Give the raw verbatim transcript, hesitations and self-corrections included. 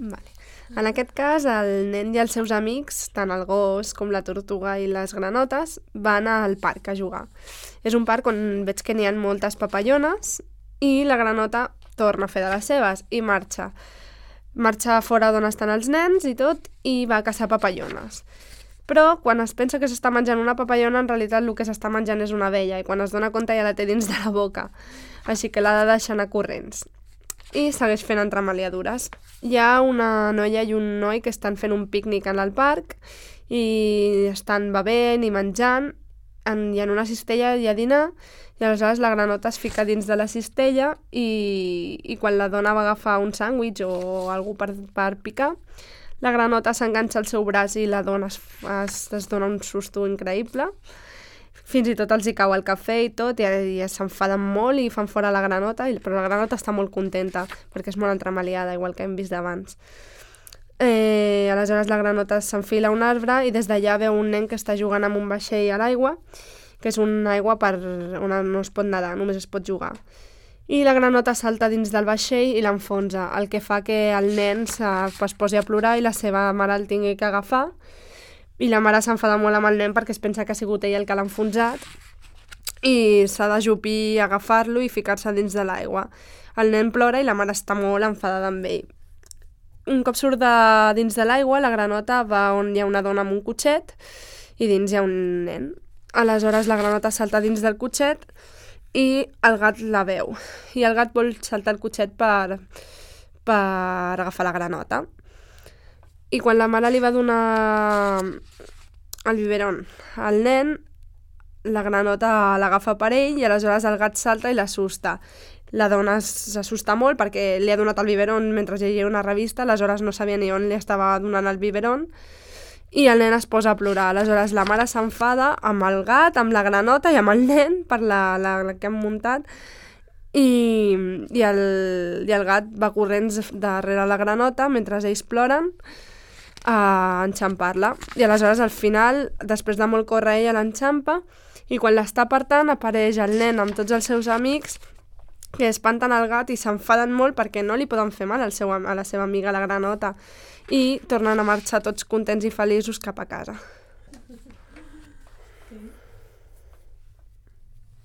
Vale. En aquest cas, el nen i els seus amics, tant el gos com la tortuga i les granotes, van al parc a jugar. És un parc on veig que n'hi ha moltes papallones i la granota torna a fer de les seves i marxa. Marxa fora d'on estan els nens i tot i va a caçar papallones. Però quan es pensa que s'està menjant una papallona, en realitat el que s'està menjant és una abella i quan es dona compte ja la té dins de la boca. Així que l'ha de deixar anar corrents. I segueix fent entremaliadures. Hi ha una noia i un noi que estan fent un pícnic en el parc i estan bevent i menjant en, i en una cistella hi ha dinar i aleshores la granota es fica dins de la cistella i, i quan la dona va agafar un sàndwich o algú per, per picar, la granota s'enganxa al seu braç i la dona es, es, es dona un susto increïble. Fins i tot els hi cau el cafè i tot, i, i s'enfaden molt i fan fora la granota, però la granota està molt contenta, perquè és molt entremaliada, igual que hem vist abans. Eh, aleshores la granota s'enfila a un arbre i des d'allà veu un nen que està jugant amb un vaixell a l'aigua, que és una aigua per on no es pot nedar, només es pot jugar. I la granota salta dins del vaixell i l'enfonsa, el que fa que el nen es posi a plorar i la seva mare el tingui que agafar. I la mare s'enfada molt amb el nen perquè es pensa que ha sigut ell el que l'ha enfonsat i s'ha d'ajupir, agafar-lo i ficar-se dins de l'aigua. El nen plora i la mare està molt enfadada amb ell. Un cop surt de dins de l'aigua, la granota va on hi ha una dona amb un cotxet i dins hi ha un nen. Aleshores la granota salta dins del cotxet i el gat la veu. I el gat vol saltar el cotxet per, per agafar la granota. I quan la mare li va donar el biberon al nen, la granota l'agafa per ell i aleshores el gat salta i l'assusta. La dona s'assusta molt perquè li ha donat el biberon mentre llegia una revista, aleshores no sabia ni on li estava donant el biberon i el nen es posa a plorar. Aleshores la mare s'enfada amb el gat, amb la granota i amb el nen per la, la, la que han muntat i, i, el, i el gat va corrents darrere la granota mentre ells ploren a enxampar-la. I aleshores al final, després de molt córrer, ella l'enxampa i quan l'està apartant apareix el nen amb tots els seus amics que espanten el gat i s'enfaden molt perquè no li poden fer mal al seu, a la seva amiga la granota i tornen a marxar tots contents i feliços cap a casa.